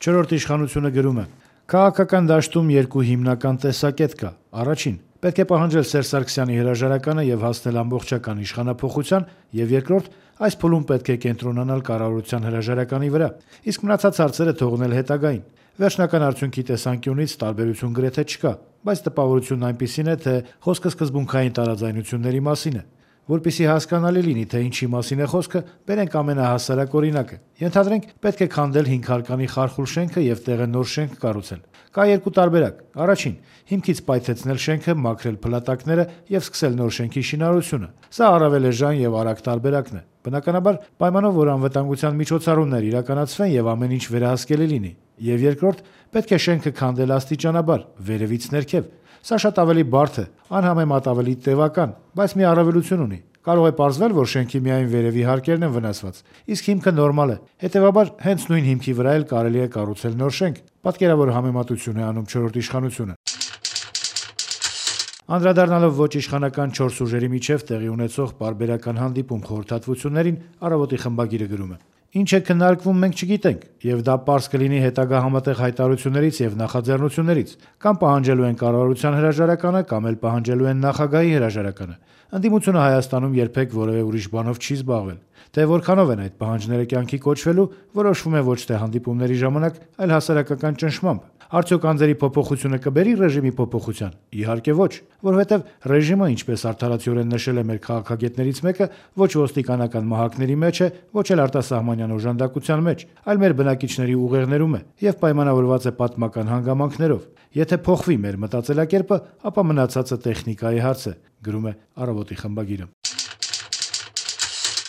Չորրորդ իշխանությունը գրում է. «Քաղաքական դաշտում երկու հիմնական տեսակետ կա։ Առաջին՝ պետք է պահանջել Սերժ Սարգսյանի հրաժարականը եւ հասնել ամբողջական իշխանափոխության, եւ երկրորդ՝ այս փուլում պետք է կենտրոնանալ կառավարության հրաժարականի վրա, իսկ մնացած հարցերը թողնել հետագային։ Վերջնական արդյունքի տեսանկյունից տարբերություն գրեթե չկա, բայց տպավորությունն այնպիսին է, թե խոսքը սկզբունքային տարաձայնությունների մասին է։ Որպեսզի հասկանալի լինի, թե ինչի մասին է խոսքը, բերենք ամենահասարակ օրինակը։ Ենթադրենք, պետք է քանդել 5 հարկանի խարխուլ շենքը եւ տեղը նոր շենք կառուցել։ Կա երկու տարբերակ. առաջին՝ հիմքից պայթեցնել շենքը, մաքրել փլատակները եւ սկսել նոր շենքի շինարարությունը։ Սա առավել էժան եւ արագ տարբերակն է։ Բնականաբար, պայմանով, որ անվտանգության միջոցառումներ իրականացվեն եւ ամեն ինչ վերահսկելի լինի։ Եվ երկրորդ՝ պետք է շենքը քանդել աստիճանաբար, վերևից ներքև։ Սա շատ ավելի բարդ է, անհամեմատ ավելի տևական, բայց մի առավելություն ունի։ Կարող է պարզվել, որ շենքի միայն վերևի հարկերն են վնասված, իսկ հիմքը նորմալ է։ Հետևաբար, հենց նույն հիմքի վրա էլ կարելի է կառուցել նոր շենք։ Պատկերավոր համեմատություն է անում չորրորդ իշխանությունը»։ Անդրադառնալով ոչ իշխանական 4 ուժերի միջև տեղի ունեցող պարբերական հանդիպում խորհրդատվություններին, Առավոտի խմբագիրը գրում է. «Ինչ է քննարկվում, մենք չգիտենք, եւ դա պարզ կլինի հետագա համատեղ հայտարարություններից եւ նախաձեռնություններից։ Կամ պահանջելու են կառավարության հրաժարականը, կամ էլ պահանջելու են նախագահի հրաժարականը։ Ընդդիմությունը Հայաստանում երբեք որևէ ուրիշ բանով չի զբաղվել։ Թե որքանով են այդ պահանջները կյանքի կոչվելու, որոշվում է ոչ թե հանդիպումների ժամանակ, այլ հասարակական ճնշմամբ։ Արդյոք անձերի փոփոխությունը կբերի ռեժիմի փոփոխության։ Իհարկե ոչ, որովհետև ռեժիմը, ինչպես արդարացիորեն նշել է մեր քաղաքագետներից մեկը, ոչ ոստիկանական մահակների մեջ է, ոչ էլ արտասահմանյան օժանդակության մեջ, այլ մեր բնակիչների ուղեղներում է եւ պայմանավորված է պատմական հանգամանքներով։ Եթե փոխվի մեր մտածելակերպը, ապա մնացածը տեխնիկայի հարց է», գրում է Առավոտի խմբագիրը։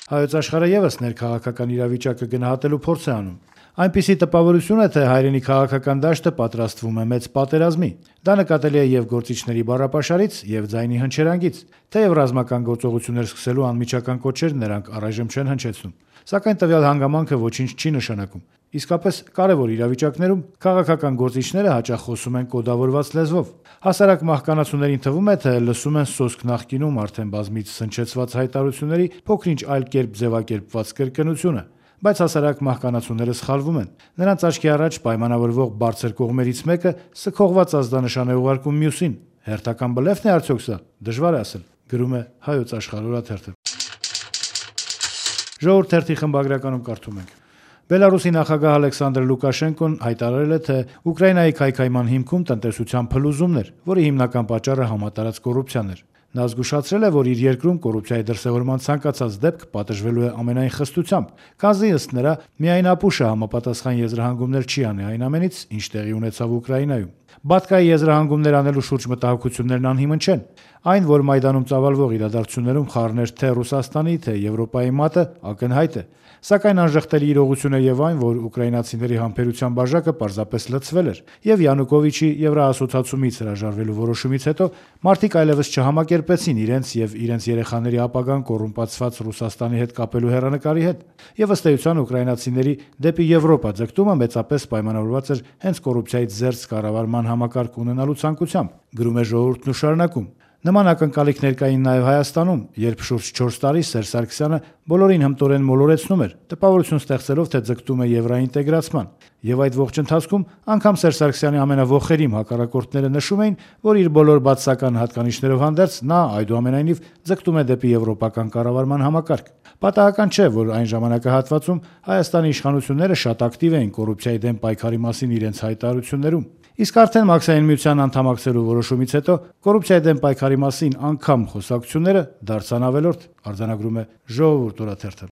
Հայոց Աշխարհը եւս ներքաղաքական իրավիճակը գնահատելու փորձ է անում։ Այնպիսի տպավորություն է, թե հայրենի քաղաքական դաշտը պատրաստվում է մեծ պատերազմի։ Դա նկատելի է եւ գործիչների բառապաշարից, եւ ձայնի հնչերանգից, թեև ռազմական գործողություններ սկսելու անմիջական կոչեր նրանք առայժմ չեն հնչեցնում։ Սակայն տվյալ հանգամանքը ոչինչ չի նշանակում։ Իսկապես կարևոր իրավիճակներում քաղաքական գործիչները հաճախ խոսում են կոդավորված լեզվով։ Հասարակ մահկանացուներին թվում է, թե լսում են սոսկ նախկինում արդեն բազմից հնչեցված հայտարարությունների փոքր-ինչ այլ կերպ ձևակերպված կրկնությունը։ Բայց հասարակ մահկանացուները սխալվում են։ Նրանց աչքի առաջ պայմանավորվող բարձր կողմերից մեկը սքողված ազդանշան է ուղարկում մյուսին։ Հերթական բլեֆն է արդյոք սա։ Դժվար է ասել, գրում է Հայոց Աշխարհ օրաթերթը։ Ժողովուրդ թերթի խմբագրականում կարդում ենք. Բելարուսի նախագահ Ալեքսանդր Լուկաշենկոն հայտարարել է, թե Ուկրաինայի քայքայման հիմքում տնտեսության փլուզումն էր, որի հիմնական պատճառը համատարած կոռուպցիան էր։ Նա զգուշացրել է, որ իր երկրում կոռուպցիայի դրսևորման ցանկացած դեպք պատժվելու է ամենայն խստությամբ, քանզի ըստ նրա միայն ապուշը համապատասխան եզրահանգումներ չի անի այն ամենից, ինչ տեղի ունեցավ Ուկրաինայում։ Բատկայի եզրահանգումներ անելու շուրջ մտահոգություններն անհիմն չեն։ Այն, որ Մայդանում ծավալվող իրադարձություններում խառներ թե Ռուսաստանի, թե Եվրոպայի մատը, ակնհայտ է։ Սակայն անժխտելի իրողություն է եւ այն, որ ուկրաինացիների համբերության բաժակը պարզապես լցվել էր, եւ Յանուկովիչի Եվրոասոցիացումից հրաժարվելու որոշումից հետո մարդիկ այլևս չհամակերպեցին իրենց եւ իրենց երեխաների ապագան կոռումպացված Ռուսաստանի հետ կապելու հեռանկարի հետ։ Եվ ըստ էության ուկրաինացիների դեպի Եվրոպա ձգտումը մեծապես պայմանավորված էր հենց կոռուպցիայից զերծ կառավարման համակարգ ունենալու ցանկությամբ, գրում է Ժողովուրդն ու շարունակում. Նման ակնկալիքներ կային նաև Հայաստանում, երբ շուրջ 4 տարի Սերժ Սարգսյանը բոլորին հմտորեն մոլորեցնում էր, տպավորություն ստեղծելով, թե ձգտում է եվրոինտեգրացման։ Եվ այդ ողջ ընթացքում անգամ Սերժ Սարգսյանի ամենավոխերիմ հակառակորդները նշում էին, որ իր բոլոր բացասական հատկանիշներով հանդերձ նա այդուամենայնիվ ձգտում է դեպի եվրոպական կառավարման համակարգ։ Պատահական չէ, որ այն ժամանակահատվածում Հայաստանի իշխանությունները շատ ակտիվ էին կոռուպցիայի դեմ պայքարի մասին իրենց հայտարարություններում։ Իսկ արդեն Մաքսային միության անդամակցելու որոշումից հետո կոռուպցիայի դեմ պայքարի մասին անգամ խոսակցությունները դարձան ավելորդ, արձանագրում է Ժողովուրդ օրաթերթը։